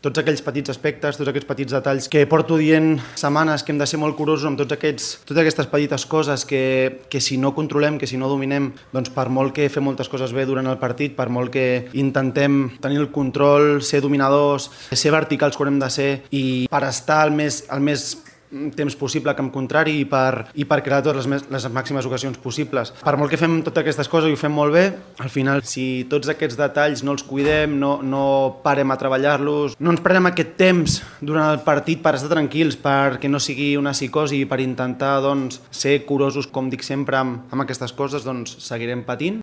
tots aquells petits aspectes, tots aquests petits detalls que porto dient setmanes que hem de ser molt curosos amb totes aquestes petites coses que si no controlem, que si no dominem, doncs per molt que fem moltes coses bé durant el partit, per molt que intentem tenir el control, ser dominadors, ser verticals quan hem de ser i per estar el més temps possible a camp contrari i per crear totes les màximes ocasions possibles. Per molt que fem totes aquestes coses i ho fem molt bé, al final, si tots aquests detalls no els cuidem, no parem a treballar-los, no ens prenem aquest temps durant el partit per estar tranquils, perquè no sigui una psicosi i per intentar ser curosos, com dic sempre, amb aquestes coses, doncs seguirem patint.